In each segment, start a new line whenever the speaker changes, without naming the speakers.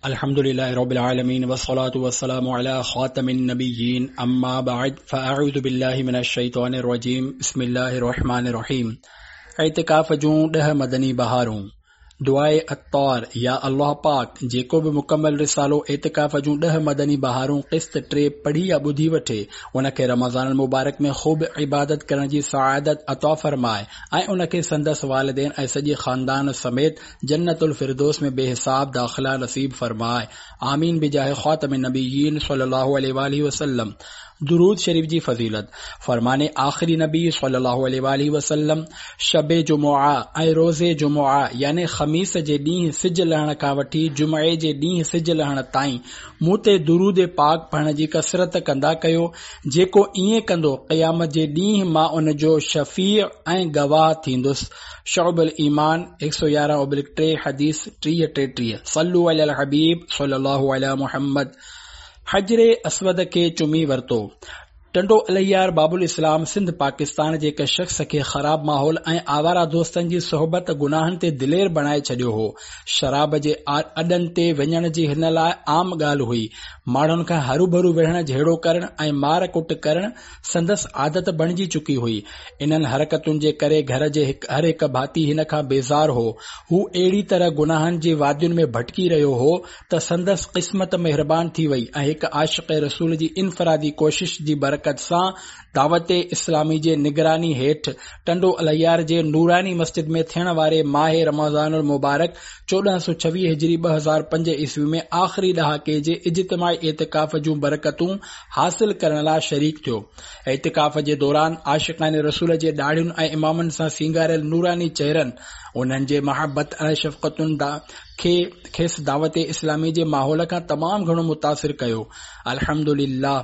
الحمد لله رب العالمين والصلاة والسلام على خاتم النبيين اما بعد فاعوذ بالله من الشيطان الرجيم بسم الله الرحمن الرحيم اعتڪاف جون ڏهه مدني بهارون دعاء عطار يا الله پاڪ جيڪو به مڪمل رسالو اعتڪاف جون ڏهه مدني بهارون قسط 3 پڙهي يا ٻڌي وٺي ان کي رمضان المبارڪ ۾ خوب عبادت ڪرڻ جي سعادت عطا فرماء ۽ ان کي سندس والدين ۽ سڄي خاندان سميت جنت الفردوس ۾ بي حساب داخلا نصيب فرماء آمين بجاه خاتم النبيين صلي الله عليه واله وسلم درود شريف جي فضيلت فرمان آخري نبي صلي الله عليه واله وسلم شب جمعه ۽ روز جمعه يعني خميس جي ڏينهن سج لهڻ کان وٺي جمعي جي ڏينهن سج لهڻ تائين مون تي درود پاڪ پڙهڻ جي ڪثرت ڪندا ڪيو جيڪو ائين ڪندو قيامت جي ڏينهن مان ان جو شفيع ۽ گواهه ٿيندس شعب الايمان 111/3 حديث 30 33 صلو علي الحبيب صلي الله علي محمد حجر اسود کي چمي ورتو ٽنڊو الهيار باب الاسلام سنڌ پاڪستان جي هڪ شخص کي خراب ماحول ۽ آواره دوستن جي صحبت گناهن تي دلير بڻائي ڇڏيو هو شراب جي اڏن تي وڃڻ جي هن لاء عام ڳالهه هئي ماڻهن کان هروڀرو وڙهڻ جهيڙو ڪرڻ ۽ مار ڪٽ ڪرڻ سندس عادت بڻجي چڪي هئي. انهن حرڪتن جي ڪري گهر جي هر هڪ ڀاتي هن کان بيزار هو. هو اهڙي طرح گناهن جي وادين ۾ ڀٽڪي رهيو هو ته سندس قسمت مهربان ٿي وئي ۽ هڪ عاشق رسول جي انفرادي ڪوشش جي برڪت سان دعوت اسلامي جي نگراني هيٺ ٽنڊو الهيار جي نوراني مسجد ۾ ٿيڻ واري ماهه رمضان المبارڪ 1426 هجري 2005 عيسوي ۾ آخري ڏهاڪي جي اجتماعي اعتڪاف جون برڪتون حاصل ڪرڻ لاء شريڪ ٿيو. اعتڪاف جي دوران عاشقان رسول جي ڏاڙهين ۽ امامن سان سينگاريل نوراني چهرن، انهن جي محبت ۽ شفقتن کي کيس دعوت اسلامي جي ماحول کان تمام گهڻو متاثر ڪيو. الحمدلله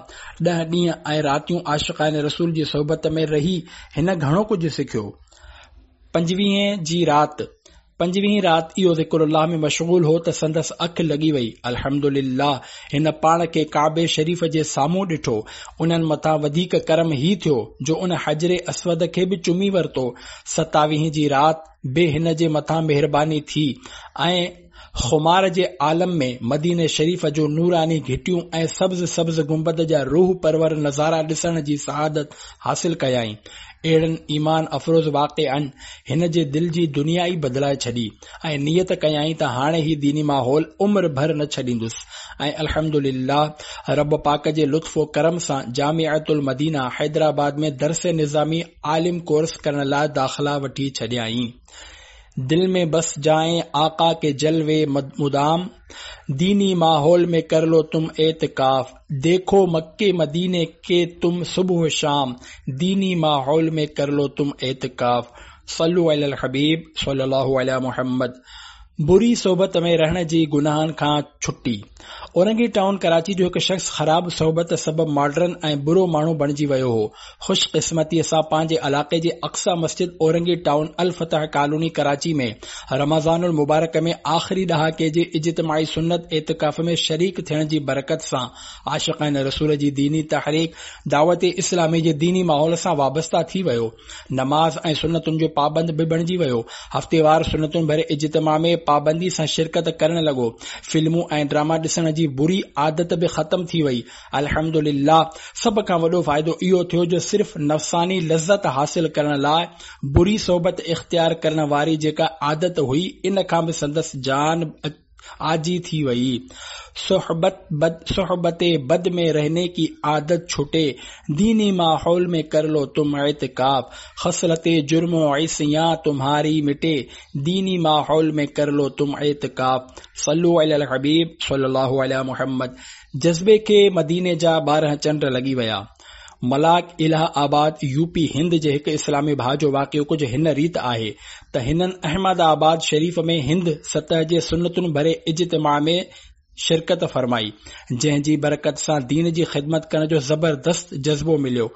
ڏهه ڏينهن ۽ راتيون عاشقان رسول جي صحبت ۾ رهي هن گهڻو ڪجهه سکيو. پنجويهين جي رات پنجويهين رات اهو ذڪر الله ۾ مشغول هو ته سندس اک لڳي وئي. الحمدلله هن پاڻ کي ڪعبي شريف جي سامهون ڏٺو. انهن مٿان وڌيڪ ڪرم هي ٿيو جو ان حجر اسود کي به چمي ورتو. ستاويهين جي رات به هن جي مٿان مهرباني ٿي ۽ خمار جي عالم ۾ مديني شريف جون نوراني گهٽيون ۽ سبز سبز گنبد جا روح پرور نظارا ڏسڻ جي سعادت حاصل ڪيائين. اهڙن ايمان افروز واقعن هن جي دل جي دنيا ئي بدلائي ڇڏي ۽ نيت ڪيائين ته هاڻي هي ديني ماحول عمر ڀر نه ڇڏيندس ۽ الحمدلله رب پاڪ جي لطف و ڪرم سان جامعة المدينه حيدرآباد ۾ درس نظامي عالم ڪورس ڪرڻ لاء داخلا وٺي ڇڏيائين. دل ۾ بس جائين آقا ڪي جلوي مدام ديني ماحول ۾ ڪر لو تم اعتڪاف ديکو مڪي مديني ڪي تم صبح و شام ديني ماحول ۾ ڪر لو تم اعتڪاف صلو علي الحبيب صلي الله علي محمد بري صحبت ۾ رهڻ جي گناهن کان ڇٽي اورنگي ٽائون ڪراچي جو هڪ شخص خراب صحبت سبب ماڊرن ۽ برو ماڻهو بڻجي ويو هو خوش قسمتيء سان پنهنجي علاقي جي اقصيٰ مسجد اورنگي ٽائون الفتح ڪالوني ڪراچي ۾ رمضان المبارڪ ۾ آخري ڏهاڪي جي اجتماعي سنت اعتڪاف ۾ شريڪ ٿيڻ جي برڪت سان عاشقان رسول جي ديني تحريڪ دعوت اسلامي جي ديني ماحول سان وابسته ٿي ويو نماز ۽ سنتن جو پابند به بڻجي ويو هفتيوار سنتن ڀري اجتماع ۾ پابندي سان شرڪت ڪرڻ لڳو فلمون ۽ ڊراما ڏسڻ جي بري عادت به ختم ٿي وئي الحمدلله سڀ کان وڏو فائدو اهو ٿيو جو صرف نفساني لذت حاصل ڪرڻ لاء بري صحبت اختيار ڪرڻ واري جيڪا عادت هئي ان کان به سندس جان آجي ٿي وئي. صحبت بد صحبت بد ۾ رهني ڪي عادت ڇٽي ديني ماحول ۾ ڪر لو تم اعتڪاف خصلت جرم و عصيان تمهاري مٽي ديني ماحول ۾ ڪر لو تم اعتڪاف صلو علی الحبيب صلي الله علي محمد جذبي کي مديني جا 12 چنڊ لڳي ويا. ملاڪ الهه آباد يو پي هند جي هڪ اسلامي ڀاء جو واقعو ڪجهه هن ريت آهي ته هنن احمد آباد شريف ۾ هند سطح جي سنتن ڀري اجتماع ۾ شرڪت فرمائي جنهن جي برڪت سان دين جي خدمت ڪرڻ جو زبردست جذبو مليو.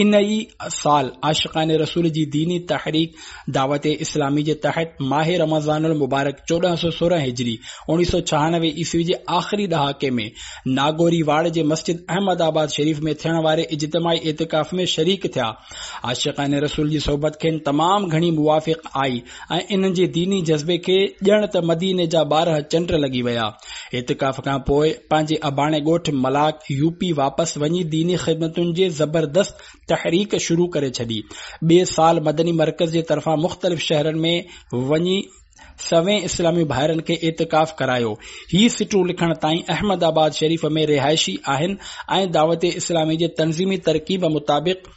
ان ئي سال عاشقان رسول جي ديني تحريڪ دعوت اسلامي جي تحت ماه رمضان المبارڪ 1416 هجري 1996 عيسوي جي آخري ڏهاڪي ۾ ناگوري واڙ جي مسجد احمد آباد شريف ۾ ٿيڻ واري اجتماعي اعتڪاف ۾ شريڪ ٿيا. عاشقان رسول جي صحبت کين تمام گهڻي موافق آئي ۽ انهن جي ديني جذبي کي ڄڻ ته مديني جا 12 چنڊ لڳي ويا. اعتڪاف. اعتڪاف کان پوء پنهنجي اباڻي ڳوٺ ملاڪ يو پي واپس وڃي ديني خدمتن جي زبردست تحريڪ شروع ڪري ڇڏي. ٻئي سال مدني مرڪز جي طرفان مختلف شهرن ۾ وڃي سوين اسلامي ڀائرن کي اعتڪاف ڪرايو. هي سٽون لکڻ تائين احمد آباد شريف ۾ رهائشي آهن ۽ دعوت اسلامي جي تنظيمي ترڪيب مطابق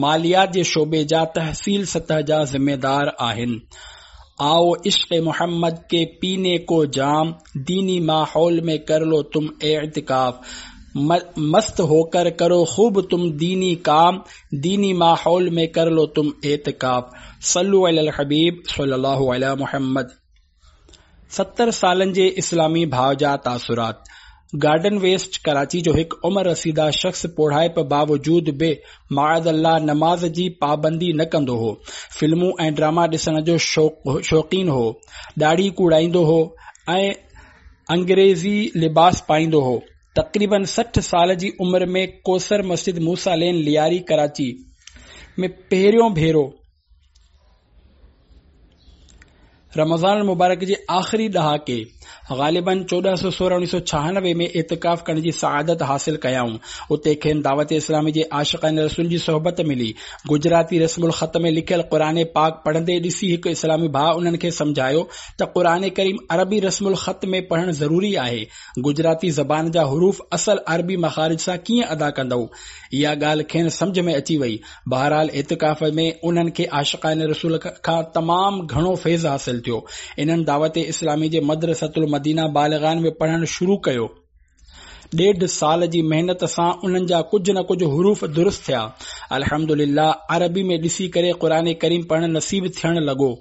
ماليات جي شعبي جا تحصيل سطح جا ذميدار آهن. آئو عشق محمد ڪي پيني ڪو جام، ديني ماحول ۾ ڪر لو تم اعتڪاف. مست هوڪر ڪرو خوب تم ديني ڪام، ديني ماحول ۾ ڪر لو تم اعتڪاف. صلو علی الحبيب صلي الله علي محمد. 70 سالن جي اسلامي ڀاء جا تاثرات. گارڊن ويسٽ ڪراچي جو هڪ عمر رسيده شخص پوڙهائپ باوجود به معاذ الله نماز جي پابندي نه ڪندو هو. فلمون ۽ ڊراما ڏسڻ جو شوقين هو. ڏاڙهي ڪوڙائيندو هو ۽ انگريزي لباس پائيندو هو. تقريبن 60 سال جي عمر ۾ ڪوثر مسجد موسيٰ لين لياري ڪراچي ۾ پهريون ڀيرو رمضان المبارڪ جي آخري ڏهاڪي غالباً 1416 1996 ۾ اعتڪاف ڪرڻ جي سعادت حاصل ڪيائون. اتي کين دعوت اسلامي جي عاشقان رسول جي صحبت ملي. گجراتي رسم الخط ۾ لکيل قرآن پاڪ پڙهندي ڏسي هڪ اسلامي ڀاء انهن کي سمجهايو ته قرآن ڪريم عربي رسم الخط ۾ پڙهڻ ضروري آهي. گجراتي زبان جا حروف اصل عربي مخارج سان ڪيئن ادا ڪندؤ؟ اها ڳالهه کين سمجهه ۾ اچي وئي. بهرحال اعتڪاف ۾ انهن کي عاشقان رسول کان تمام گهڻو فيض حاصل ٿيو. انهن دعوت اسلامي جي مدرسة المدينه بالغان ۾ پڙهڻ شروع ڪيو. ڏيڍ سال جي محنت سان انهن جا ڪجهه نه ڪجهه حروف درست ٿيا. الحمدلله عربي ۾ ڏسي ڪري قرآن ڪريم پڙهڻ نصيب ٿيڻ لڳو.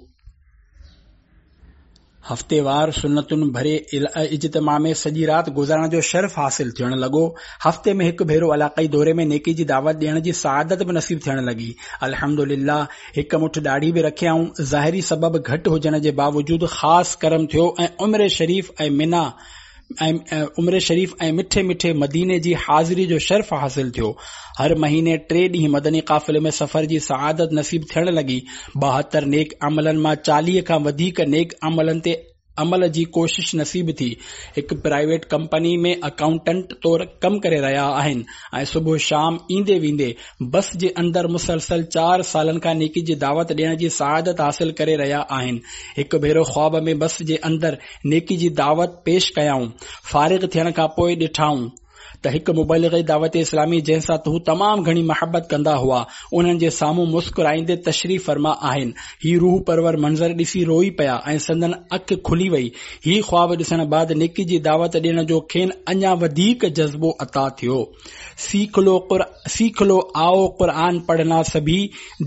هفتيوار سنتن ڀري اجتماع ۾ سڄي رات گذارڻ جو شرف حاصل ٿيڻ لڳو. هفتي ۾ هڪ ڀيرو علاقائي دوري ۾ نيڪي جي دعوت ڏيڻ جي سعادت به نصيب ٿيڻ لڳي. الحمدلله هڪ مٺ ڏاڙهي به رکيائون. ظاهري سبب گهٽ هجڻ جي باوجود خاص ڪرم ٿيو ۽ عمري شريف ۽ منيٰ ۽ عمري شريف ۽ مٺي مٺي مديني جي حاضري جو شرف حاصل ٿيو. هر مهيني ٽي ڏينهن مدني قافلي ۾ سفر جي سعادت نصيب ٿيڻ لڳي. 72 نيڪ عملن مان 40 کان وڌيڪ نيڪ عملن تي عمل جي ڪوشش نصيب ٿي. هڪ پرائيويٽ ڪمپني ۾ اڪائونٽنٽ طور ڪم ڪري رهيا آهن ۽ صبح شام ايندي ويندي بس جي اندر مسلسل چار سالن کان نيڪي جي دعوت ڏيڻ جي سعادت حاصل ڪري رهيا آهن. هڪ ڀيرو خواب ۾ بس جي اندر نيڪي جي دعوت پيش ڪيائون. فارغ ٿيڻ کان پوء ڏٺائون ته هڪ مبلغ دعوت اسلامي جنهن سان هو تمام گهڻي محبت ڪندا هئا، انهن جي سامهون مسڪرائيندي تشريف فرما آهن. هي روح پرور منظر ڏسي روئي پيا ۽ سندن اک کلي وئي. هي خواب ڏسڻ بعد نيڪي جي دعوت ڏيڻ جو کين اڃا وڌيڪ جذبو عطا ٿيو. سيک لو سيک لو آئو قرآن پڙهنا سڀي،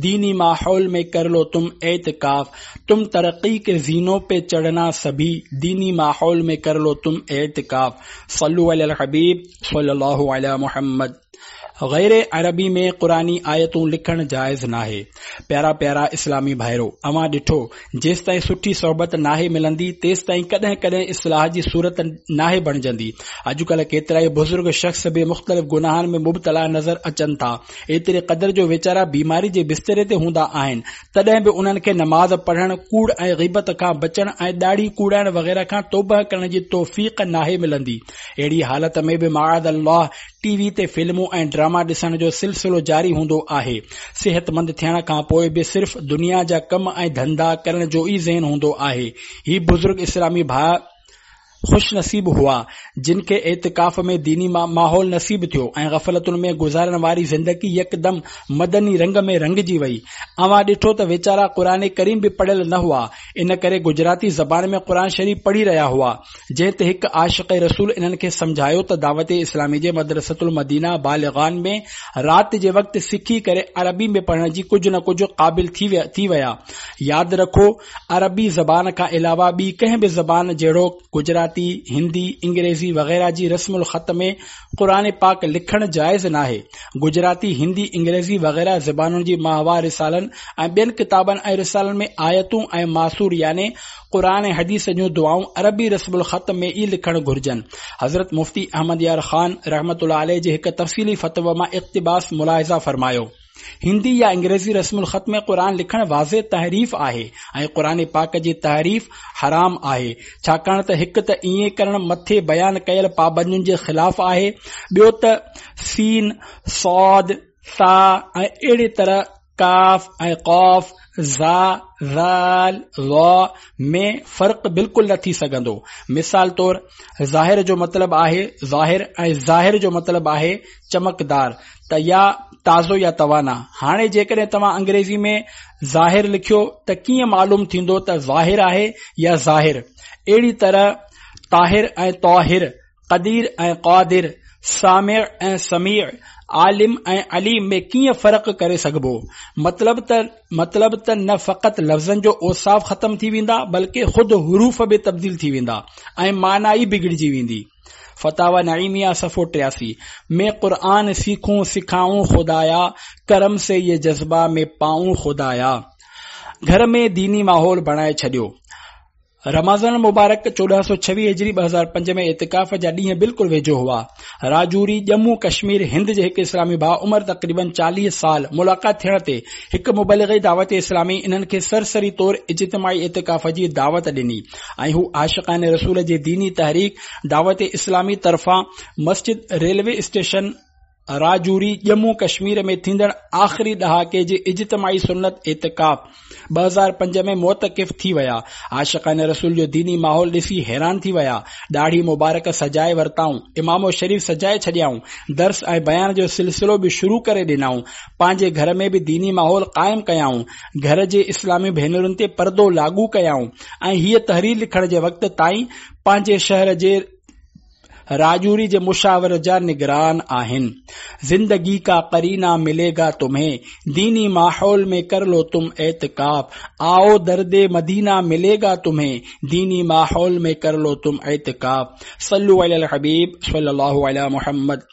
ديني ماحول ۾ ڪر لو تم اعتڪاف، تم ترقي ڪي زينو پي چڙهنا سڀي، ديني ماحول ۾ ڪر لو تم اعتڪاف. صلو علي الحبيب صلي الله علي محمد. غير عربي ۾ قرآني آيتون لکڻ جائز ناهي. پيارا پيارا اسلامي ڀائرو! اوهان ڏٺو، جيستائين سٺي صحبت ناهي ملندي، تيستائين ڪڏهن ڪڏهن اصلاح جي صورت ناهي بڻجندي. اڄڪلهه ڪيترائي بزرگ شخص به مختلف گناهن ۾ مبتلا نظر اچن ٿا. ايتري قدر جو ويچارا بيماري جي بستري تي هوندا آهن، تڏهن به انهن کي نماز پڙهڻ، ڪوڙ ۽ غيبت کان بچڻ ۽ ڏاڙهي ڪوڙائڻ وغيره کان توبهه ڪرڻ جي توفيق ناهي ملندي. اهڙي حالت ۾ به معاذ الله ٽي وي تي فلمون ۽ ڊراما ڏسڻ جو سلسلو جاري هوندو آهي. صحتمند ٿيڻ کان پوء به صرف دنيا جا ڪم ۽ ڌنڌا ڪرڻ جو ئي ذهن هوندو آهي. هي بزرگ اسلامي ڀاء خوش نصيب هئا، جن کي اعتڪاف ۾ ديني ماحول نصيب ٿيو ۽ غفلتن ۾ گذارڻ واري زندگي يڪدم مدني رنگ ۾ رنگجي وئي. اوهان ڏٺو ته ويچارا قرآن ڪريم به پڙهيل نه هئا، ان ڪري گجراتي زبان ۾ قرآن شريف پڙهي رهيا هئا. جنهن تي هڪ عاشق رسول انهن کي سمجهايو ته دعوت اسلامي جي مدرسة المدينه بالغان ۾ رات جي وقت سکي ڪري عربي ۾ پڙهڻ جي ڪجهه نه ڪجهه قابل ٿي ويا. ياد رکو عربي زبان کان علاوه ٻي ڪنهن به زبان جهڙوڪ گجراتي، هندي، انگريزي وغيره جي رسم الخط ۾ قرآن پاڪ لکڻ جائز ناهي. گجراتي، هندي، انگريزي وغيره زبانن جي ماهوار رسالن ۽ ٻين ڪتابن ۽ رسالن ۾ آيتون ۽ ماثور يعني قرآن ۽ حديث جون دعائون عربي رسم الخط ۾ ئي لکڻ گهرجن. حضرت مفتي احمد يار خان رحمة الله عليه جي هڪ تفصيلي فتوي مان اقتباس ملاحظه فرمايو. هندي يا انگريزي رسم الخط ۾ قرآن لکڻ واضح تحريف آهي ۽ قرآن پاڪ جي تحريف حرام آهي، ڇاڪاڻ ته هڪ ته ائين ڪرڻ مٿي بيان ڪيل پابندين جي خلاف آهي، ٻيو ته سين، صاد، ثا ۽ اهڙي طرح ڪاف ۽ قاف، ظا، ذال، ظا ۾ فرق بلڪل نه ٿي سگهندو. مثال طور ظاهر جو مطلب آهي ظاهر ۽ ظاهر جو مطلب آهي چمڪدار ته يا تازو يا توانا. هاڻي جيڪڏهن توهان انگريزي ۾ ظاهر لکيو ته ڪيئن معلوم ٿيندو ته ظاهر آهي يا ظاهر؟ اهڙي طرح طاهر ۽ طاهر، قدير ۽ قادر، سامع ۽ سميع، عالم ۽ عليم ۾ ڪيئن فرق ڪري سگهبو؟ مطلب ته مطلب ته نه فقط لفظن جو اوصاف ختم ٿي ويندا بلڪه خود حروف به تبديل ٿي ويندا ۽ معنيٰ ئي بگڙجي ويندي. فتاويٰ نعيميه صفحو 83، ۾ قرآن سيکون سکائون خدايا ڪرم سي يه جذبه ۾ پائون خدايا گهر ۾ ديني ماحول بڻائي ڇڏيو. رمضان المبارڪ 1426 هجري 2005 ۾ اعتڪاف جا ڏينهن بلڪل ويجهو هئا. راجوري، ڄمون ڪشمير، هند جي هڪ اسلامي ڀاء عمر تقريباً 40 سال، ملاقات ٿيڻ تي هڪ مبلغ دعوت اسلامي انهن کي سرسري طور اجتماعي اعتڪاف جي دعوت ڏني ۽ هو عاشقان رسول جي ديني تحريڪ دعوت اسلامي طرفان مسجد ريلوي اسٽيشن راجوري، ڄمون ڪشمير ۾ ٿيندڙ آخري ڏهاڪي جي اجتماعي سنت اعتڪاف 2005 ۾ معتڪف ٿي ويا. عاشقان رسول جو ديني ماحول ڏسي حيران ٿي ويا. ڏاڙهي مبارڪ سجائي ورتائون، عمامو شريف سجائي ڇڏيائون، درس ۽ بيان جو سلسلو به شروع ڪري ڏنائون. پنهنجي گهر ۾ به ديني ماحول قائم ڪيائون. گهر جي اسلامي ڀينرن تي پردو لاڳو ڪيائون ۽ هيء تحرير لکڻ جي وقت تائين پنهنجي شهر جي راجوري جي مشاور جا نگران آهن. زندگي ڪا قرينه ملي گا تمهين، ديني ماحول ۾ ڪر لو تم اعتڪاف، آئو درد مدينه ملي گا تمهين، ديني ماحول ۾ ڪر لو تم اعتڪاف. صلو علي الحبيب صلي الله علي محمد.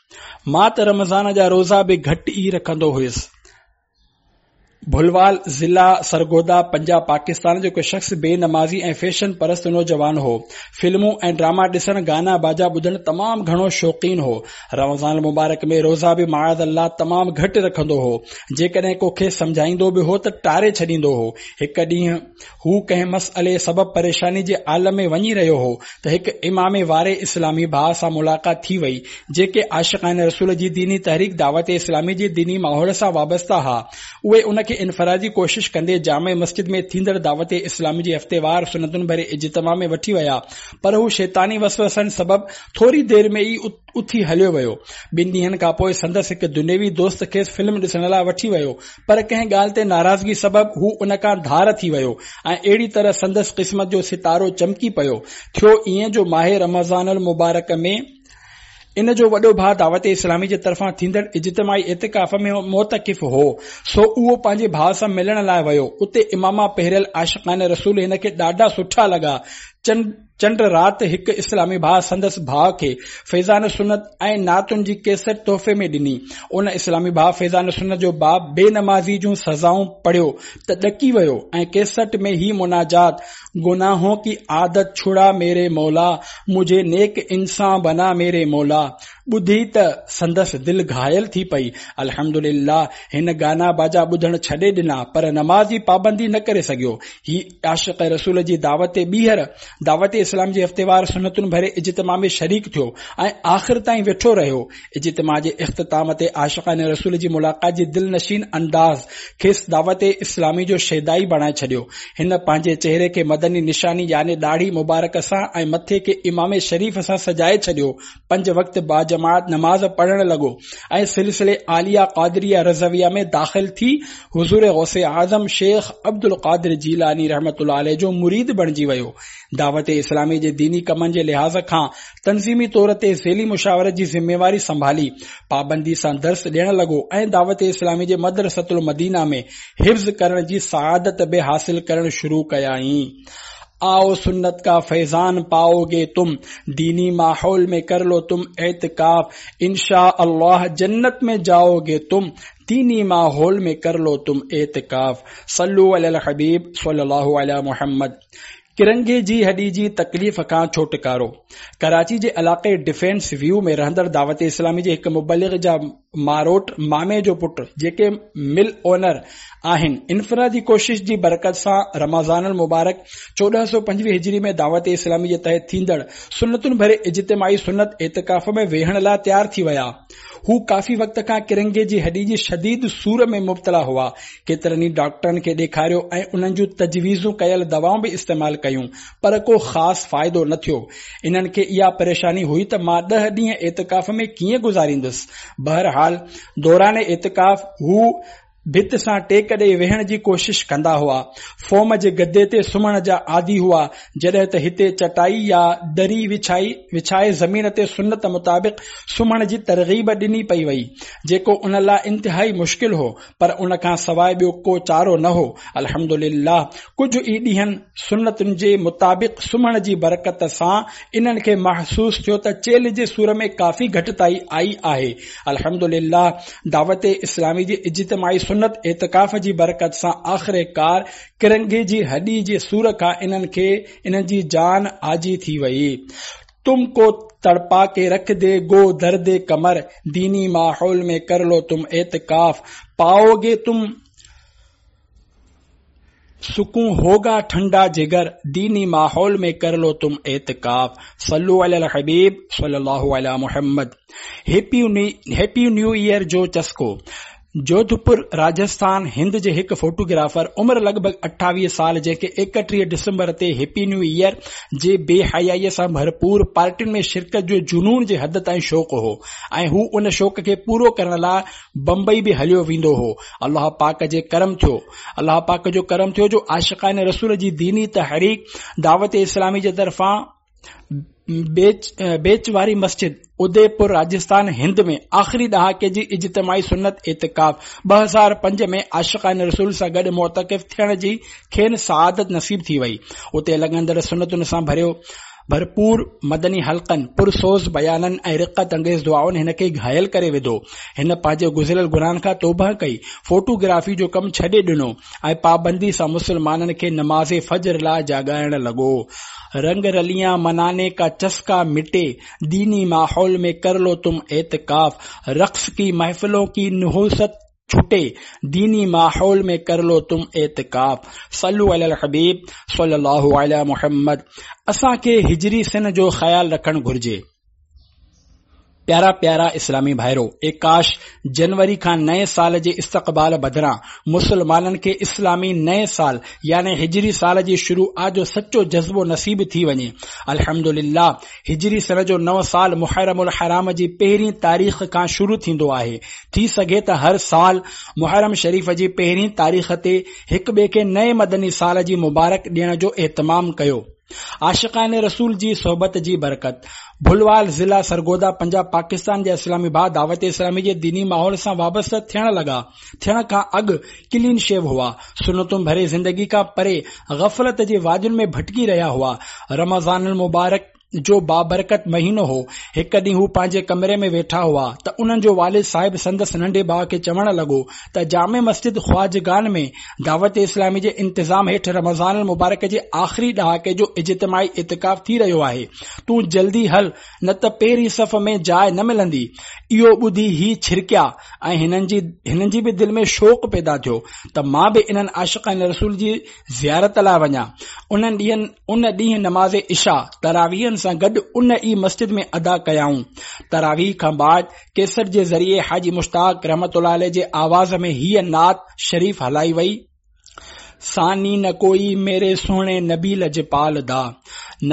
مان ته رمضان جا روزا به گهٽ ئي رکندو هيس. ڀلوال، ضلع سرگوڌا، پنجاب، پاڪستان جو هڪ شخص بي نمازي ۽ فيشن پرست نوجوان هو. فلمون ۽ ڊراما ڏسڻ، گانا باجا ٻڌڻ تمام گهڻو شوقين هو. رمضان المبارڪ ۾ روزا به معاذ الله تمام گهٽ رکندو هو. جيڪڏهن ڪو کيس سمجهائيندو به هو ته ٽاري ڇڏيندو هو. هڪ ڏينهن هو ڪنهن مسئلي سبب پريشاني جي عالم ۾ وڃي رهيو هو ته هڪ امامي واري اسلامي ڀاء سان ملاقات ٿي وئي، جيڪي عاشقان رسول جي ديني تحريڪ دعوت اسلامي جي ديني ماحول سان وابسته ها. اهي ان کي انفرادي ڪوشش ڪندي جامع مسجد ۾ ٿيندڙ دعوت اسلامي جي هفتيوار سنتن ڀري اجتماع ۾ وٺي ويا، پر هو شيطاني وسوسن سبب ٿوري دير ۾ ئي اٿي هليو ويو. ٻن ڏينهن کان پوء سندس هڪ دنيوي دوست کيس فلم ڏسڻ لاء وٺي ويو، پر ڪنهن ڳالهه تي ناراضگي سبب هو ان کان ڌار ٿي ويو ۽ اهڙي طرح سندس قسمت جو ستارو چمڪي پيو. ٿيو ائين جو ماهه رمضان المبارڪ ۾ ان جو وڏو ڀاء دعوت اسلامي جي طرفان ٿيندڙ اجتماعي اعتڪاف ۾ معتڪف هو، سو اهو پنهنجي ڀاء سان ملڻ لاء ويو. اتي عمامه پهريل عاشقان رسول هن کي ڏاڍا سٺا لڳا. چنڊ رات هڪ اسلامي ڀاء سندس ڀاء کي فيضان سنت ۽ نعتن جي ڪيسٽ تحفي ۾ ڏني. ان اسلامي ڀاء فيضان سنت جو باب بي نمازي جون سزائون پڙهيو ته ڏڪي ويو ۽ ڪيسٽ ۾ هي مناجات گناهون ڪي عادت ڇڙا ميري مولا مجهي نيڪ انسان بنا ميري مولا ٻڌي ته سندس دل گهايل ٿي پئي. الحمدلله هن گانا باجا ٻڌڻ ڇڏي ڏنا پر نماز جي پابندي نه ڪري سگهيو. هي عاشق رسول جي دعوت تي ٻيهر دعوت اسلام جي هفتيوار سنتن ڀري اجتماع ۾ شريڪ ٿيو ۽ آخر تائين ويٺو رهيو. اجتماع جي اختتام تي عاشقان رسول جي ملاقات جي دلنشين انداز کيس دعوت اسلامي جو شيدائي بڻائي ڇڏيو. هن پنهنجي چهري کي مدني نشاني يعني ڏاڙهي مبارڪ سان ۽ مٿي کي عمامي شريف سان سجائي ڇڏيو. پنج وقت باجماعت نماز پڙهڻ لڳو ۽ سلسلي عاليه قادريه رضويه ۾ داخل ٿي حضور غوث اعظم شيخ عبدالقادر جيلاني رحمة الله عليه جو مريد بڻجي ويو. دعوت اسلامي جي ديني ڪمن جي لحاظ کان تنظيمي طور تي ذيلي مشاورت جي ذميواري سنڀالي پابندي سان درس ڏيڻ لڳو ۽ دعوت اسلامي جي مدرسة المدينه ۾ حفظ ڪرڻ جي سعادت به حاصل ڪرڻ شروع ڪيائين. آئو سنت ڪا فيضان پائو گي تم، ديني ماحول ۾ ڪر لو تم اعتڪاف، انشاء الله جنت ۾ جائو گي تم، ديني ماحول ۾ ڪر لو تم اعتڪاف. صلو علي الحبيب صلي الله علي محمد. ڪرنگهي جي هڏي جي تڪليف کان ڇوٽڪارو. ڪراچي جي علائقي ڊفينس ويو ۾ رهندڙ دعوت اسلامي جي هڪ مبلغ جا ماروٽ مامي جو پٽ جيڪي مل اونر آهن انفرادي ڪوشش جي برڪت سان رمضان المبارڪ 1425 هجري ۾ دعوت اسلامي جي تحت ٿيندڙ سنتن ڀري اجتماعي سنت اعتڪاف ۾ ويهڻ لاء تيار ٿي ويا. هو ڪافي وقت کان ڪرنگهي جي هڏي جي شديد سور ۾ مبتلا هئا. ڪيترن ئي ڊاڪٽرن کي ڏيکاريو ۽ انهن جون تجويزون ڪيل دوائون به استعمال ڪيون پر ڪو خاص فائدو نه ٿيو. انهن کي اها پريشاني هئي ته مان ڏهه ڏينهن اعتڪاف ۾ ڪيئن گذاريندس. بهرحال دوران اعتڪاف هو ڀت سان ٽيڪ ڏئي ويهڻ جي ڪوشش ڪندا هئا. فوم جي گدي تي سمهڻ جا عادي هئا. جڏهن ته هتي چٽائي يا دري وڇائي وڇائي زمين تي سنت مطابق سمهڻ جي ترغيب ڏني پئي وئي، جيڪو ان لاء انتهائي مشڪل هو، پر ان کان سواء ٻيو ڪو چارو نه هو. الحمدلله ڪجهه ئي ڏينهن سنتن جي مطابق سمهڻ جي برڪت سان انهن کي محسوس ٿيو ته چيلهه جي سور ۾ ڪافي گهٽتائي آئي آهي. الحمدلله دعوت اسلامي جي اجتماعي سنت اعتڪاف جي برڪت سان آخرڪار ڪرنگهي جي هڏي جي سور کان انهن کي انهن جي جان آجي ٿي وئي. تم ڪو تڙپا ڪي رک the گو درد ڪمر ديني ماحول ۾ ڪر لو تم اعتڪاف پائو گي تم سڪون هوگا ٺنڊا جگر ديني ماحول ۾ ڪر لو تم اعتڪاف صلو علي الحبيب صلي الله علي محمد هيپي نيو ايئر جو چسڪو جوڌپور راجسٿان هند جي هڪ فوٽوگرافر عمر لڳ ڀڳ 28 سال جنهن کي 31 ڊسمبر تي هيپي نيو ايئر جي بي حيائي سان ڀرپور پارٽين ۾ شرڪت جو جنون جي حد تائين شوق هو ۽ هو ان شوق کي پورو ڪرڻ لاء بمبئي به هليو ويندو هو. الله پاڪ جي ڪرم ٿيو. الله پاڪ جو ڪرم ٿيو جو عاشقان رسول جي ديني تحريڪ دعوت اسلامي جي طرفان بيچ بيچ واري مسجد اديپور راجستان هند ۾ آخري ڏهاڪي جي اجتماعي سنت اعتڪاف 2005 ۾ عاشقان رسول سان گڏ معتڪف ٿيڻ جي کين سعادت نصيب ٿي وئي. اتي لڳندڙ سنتن سان ڀريو ڀرپور مدني حلقن، پرسوز بيانن ۽ رقت انگيز دعائن هن کي گهايل ڪري وڌو. هن پنهنجي گذريل گناهن کان توبهه ڪئي، فوٽو گرافي جو ڪم ڇڏي ڏنو ۽ پابندي سان مسلمانن کي نماز فجر لاء جاڳائڻ لڳو. رنگ رليان مناني ڪا چسڪا مٽي، ديني ماحول ۾ ڪر لو تم اعتڪاف، رقص ڪي محفلون ڪي نحوست ڇٽي، ديني ماحول ۾ ڪر لو تم اعتڪاف صلو علي الحبيب صلي الله علي محمد اسان کي هجري سن جو خيال رکڻ گهرجي. پيارا پيارا اسلامي ڀائرو! اي ڪاش جنوري کان نئين سال جي استقبال بدران مسلمانن کي اسلامي نئين سال يعني هجري سال جي شروعات جو سچو جذبو نصيب ٿي وڃي. الحمدلله هجري سن جو نئون سال محرم الحرام جي پهرين تاريخ کان شروع ٿيندو آهي. ٿي سگهي ته هر سال محرم شريف جي پهرين تاريخ تي هڪ ٻئي کي نئين مدني سال جي مبارڪ ڏيڻ جو اهتمام ڪيو. عاشقان رسول جي صحبت جي برڪت. ڀلوال ضلع سرگوڌا پنجاب پاڪستان جا اسلامي ڀاء دعوت اسلامي جي ديني ماحول سان وابسته ٿيڻ لڳا ٿيڻ کان اڳ ڪلين شيو هئا سنتون ڀري زندگي کان پري غفلت جي وادين ۾ ڀٽڪي رهيا هئا رمضان المبارڪ جو بابرڪت مهينو هو. هڪ ڏينهن هو پنهنجي ڪمري ۾ ويٺا هئا ته انهن جو والد صاحب سندس ننڍي ڀاء کي چوڻ لڳو ته جامع مسجد خواجگان ۾ دعوت اسلامي جي انتظام هيٺ رمضان المبارڪ جي آخري ڏهاڪي جو اجتماعي اعتڪاف ٿي رهيو آهي، تون جلدي هل نه ته پهرين صف ۾ جاء نه ملندي. اهو ٻڌي هي ڇرڪيا ۽ هنن جي هنن جي به دل ۾ شوق پيدا ٿيو ته مان به انهن عاشقان رسول جي زيارت لاء وڃان. انهن ڏينهن ان ڏينهن نماز عشاء تراويحن سان گڏ ان ئي مسجد ۾ ادا ڪيائون. تراويح کان بعد ڪيسٽ جي ذريعي حاجي مشتاق رحمة الله عليه جي آواز ۾ هيء نعت شريف هلائي وئي. ثاني نه ڪوئي ميري سهڻي نبي لجپال دا.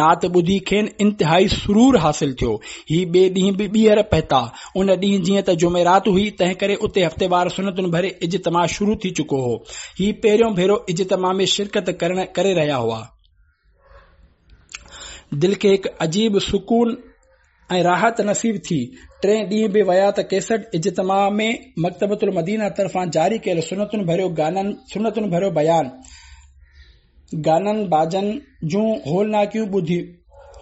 نعت ٻڌي کين انتهائي سرور حاصل ٿيو. هي ٻئي ڏينهن به ٻيهر پهتا. ان ڏينهن جيئن ته جمعرات هئي، تنهنڪري اتي هفتيوار سنتن ڀري اجتماع شروع ٿي چڪو هو. هي پهريون ڀيرو اجتماع ۾ شرڪت ڪرڻ ڪري رهيا هئا. دل کي هڪ عجيب سڪون ۽ راحت نصيب ٿي. ٽئين ڏينهن به ويا ته ڪيسٽ اجتماع ۾ مڪتبة المدينه طرفان جاري ڪيل سنتن ڀريو گانن سنتن ڀريو بيان گانن باجن جون هولناڪيون ٻڌي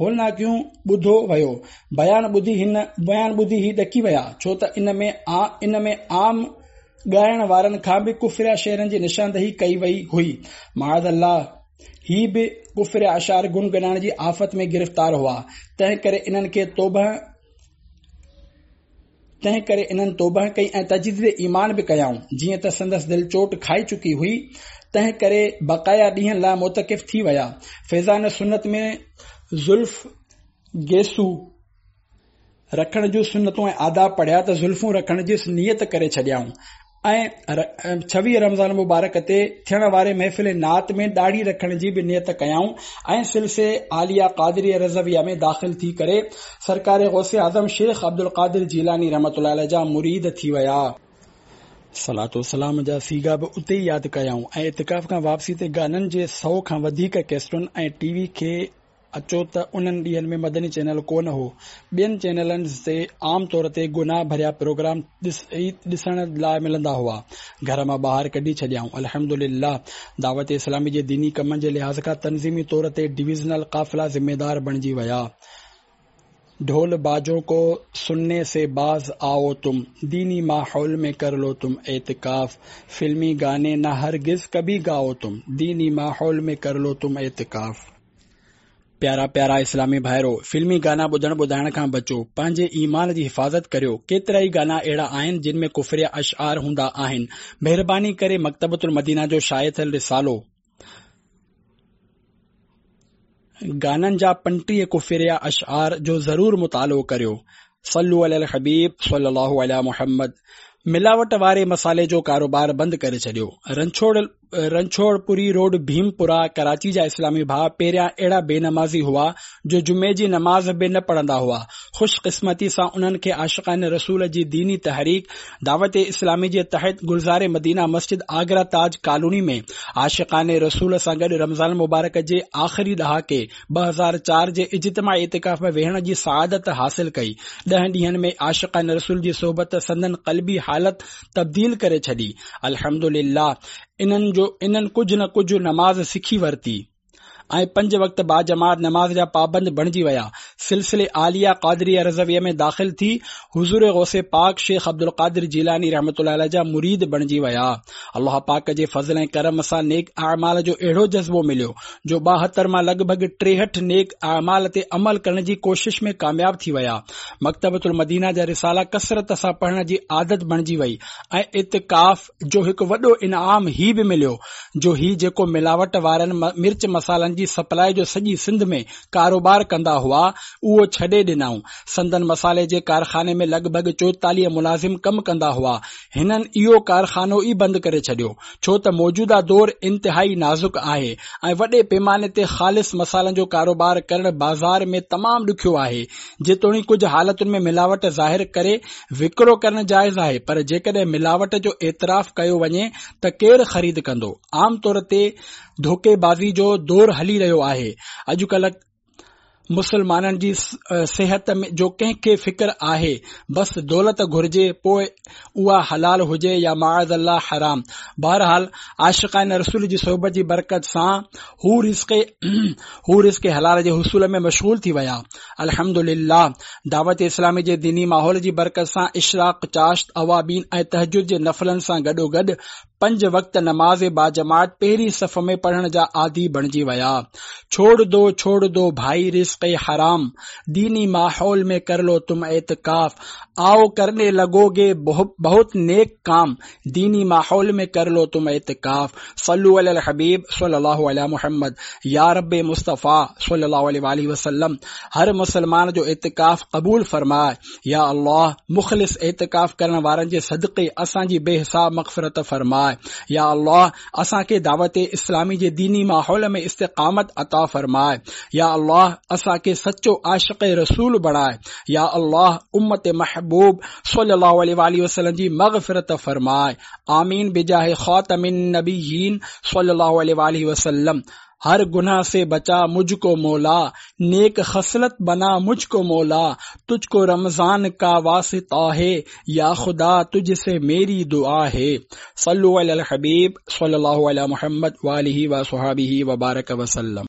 هولناڪيون ٻڌو ويو. بيان ٻڌي هن بيان ٻڌي هي ڏڪي ويا ڇو ته ان ۾ ان ۾ عام ڳائڻ وارن کان به ڪفريا شعرن جي نشاندهي ڪئي وئي هئي. معاذ الله! هي به ڪفريه اشعار گنگنائڻ جي آفت ۾ گرفتار هئا، تنهن ڪري انهن کي توبه تنهن ڪري انهن توبه ڪئي ۽ تجديد ايمان به ڪيائون. جيئن ته سندس دل چوٽ کائي چڪي هئي، تنهن ڪري بقايا ڏينهن لاء معتڪف ٿي ويا. فيضان سنت ۾ زلف گيسو رکڻ جون سنتون ۽ آداب پڙهيا ته زلفون رکڻ جي نيت ڪري ڇڏيائون ۽ 26 رمضان مبارڪ تي ٿيڻ واري محفل نعت ۾ ڏاڙهي رکڻ جي به نيت ڪيائون ۽ سلسي عاليه قادريه رضويه ۾ داخل ٿي ڪري سرڪار غوث اعظم شيخ عبدالقادر جيلاني رحمة الله عليه جا مريد ٿي ويا. صلوة و سلام جا صيغا به اتي ئي ياد ڪيائون ۽ اعتڪاف کان واپسي تي گانن جي سئو کان وڌيڪ ڪيسٽن ۽ ٽي وي کي اچو ته انهن ڏينهن ۾ مدني چينل ڪونه هو. ٻين چينلن تي عام طور تي گناهه ڀريا پروگرام ڏسڻ لاء ملندا هئا. گهر مان ٻاهر ڪڍي ڇڏيائون. الحمدلله دعوت اسلامي جي ديني ڪمن جي لحاظ کان تنظيمي طور تي ڊويزنل قافلا ذميدار بڻجي ويا. ڍول باجون ڪو سنني سي باز آئو تم، ديني ماحول ۾ ڪر لو تم اعتڪاف، فلمي گاني نه هرگز ڪڀي گائو تم، ديني ماحول ۾ ڪر لو تم اعتڪاف. پيارا پيارا اسلامي ڀائرو! فلمي گانا ٻڌڻ ٻڌائڻ کان بچو، پنهنجي ايمان جي حفاظت ڪريو، ڪيترائي گانا اهڙا آهن جن ۾ ڪفريه اشعار هوندا آهن، مهرباني ڪري مڪتبة المدينه جو شايع ٿيل رسالو، گانن جا 35 ڪفريه اشعار جو ضرور مطالعو ڪريو. صلو علي الحبيب صلي الله علي محمد ملاوٽ واري مصالحي جو ڪاروبار بند ڪري ڇڏيو. رنڇوڙ پوري روڊ ڀيم پورا ڪراچي جا اسلامي ڀاء پهريان اهڙا بي نمازي هئا جو جمعي جي نماز به نه پڙهندا هئا. خوش قسمتي سان انهن کي عاشقان رسول جي ديني تحريڪ دعوت اسلامي جي تحت گلزار مدينه مسجد آگرا تاج ڪالوني ۾ عاشقان رسول سان گڏ رمضان المبارڪ جي آخري ڏهاڪي 2004 جي اجتماعي اعتڪاف ۾ ويهڻ جي سعادت حاصل ڪئي. ڏهن ڏينهن ۾ عاشقان رسول جي صحبت سندن قلبي حالت تبديل ڪري ڇڏي. الحمدلله انهن جو انهن ڪجهه نه ڪجهه نماز سکي ورتي. ۽ پنج وقت باجماعت نماز جا پابند بڻجي ويا. سلسلي عاليه قادريه رضويه ۾ داخل ٿي حضور غوث پاڪ شيخ عبدالقادر جيلاني رحمة الله عليه جا مريد بڻجي ويا. الله پاڪ جي فضل ۽ ڪرم سان نيڪ اعمال جو اهڙو جذبو مليو جو 72 مان لڳ ڀڳ 63 نيڪ اعمال تي عمل ڪرڻ جي ڪوشش ۾ ڪامياب ٿي ويا. مڪتبة المدينه جا رسالا ڪثرت سان پڙهڻ جي عادت بڻجي وئي ۽ اعتڪاف جو هڪ وڏو انعام هي به مليو جو هي جيڪو ملاوٽ وارن مرچ مصالحن جي سپلاء جو سڄي سنڌ ۾ ڪاروبار ڪندا هئا اهو ڇڏي ڏنائون. سندن مصالحي جي ڪارخاني ۾ لڳ ڀڳ 44 ملازم ڪم ڪندا هئا. هنن اهو ڪارخانو ئي بند ڪري ڇڏيو. ڇو ته موجوده دور انتهائي نازڪ آهي ۽ وڏي پيماني تي خالص مصالحن جو ڪاروبار ڪرڻ بازار ۾ تمام ڏکيو آهي. جيتوڻيڪ ڪجهه حالتن ۾ ملاوٽ ظاهر ڪري وڪرو ڪرڻ جائز آهي پر جيڪڏهن ملاوٽ جو اعتراف ڪيو وڃي ته ڪير خريد ڪندو؟ عام طور تي ڌوڪي بازي جو دور هلي رهيو آهي. اڄڪلهه مسلمانن جي صحت جو ڪنهن کي فڪر آهي بس دولت گهرجي پوء اها حلال هجي يا معاذ الله حرام. بهرحال عاشقان رسول جي صحبت جي برڪت سان هو رزق حلال جي حصول ۾ مشغول ٿي ويا. الحمدلله دعوت اسلامي جي ديني ماحول جي برڪت سان اشراق، چاشت، اوابين ۽ تهجد جي نفلن سان گڏوگڏ پنج وقت نماز باجماعت پهرين صف ۾ پڙهڻ جا عادي بڻجي ويا. ڇوڙ دو ڇوڙ دو ڀائي رزق حرام، ديني ماحول ۾ ڪر لو تم اعتڪاف، آئو ڪرني لگو گي بهت نيڪ ڪام، ديني ماحول ۾ ڪر لو تم اعتڪاف، صلو علی الحبيب صلي الله علي محمد يا رب مصطفيٰ صلي الله عليه واٰله وسلم هر مسلمان جو اعتڪاف قبول فرماء يا الله مخلص اعتڪاف ڪرڻ وارن جي صدقي اسان جي بي حساب مغفرت فرماء يا الله اسان کي دعوت اسلامي جي ديني ماحول ۾ استقامت عطا فرماء يا الله اسان کي سچو عاشق رسول بڻاء يا الله امت محبوب صلي الله عليه واٰله وسلم جي مغفرت فرماء آمين بجاه خاتم النبيين صلي الله عليه واٰله وسلم هر گناھ سي بچا مجھ ڪو مولا نيڪ خصلت بنا مجھ ڪو مولا تجھ ڪو رمضان ڪا واسطه هي يا خدا تجھ سي ميري دعا هي صلو علي الحبيب صلي الله علي محمد واٰله وصحابه وبارڪ وسلم.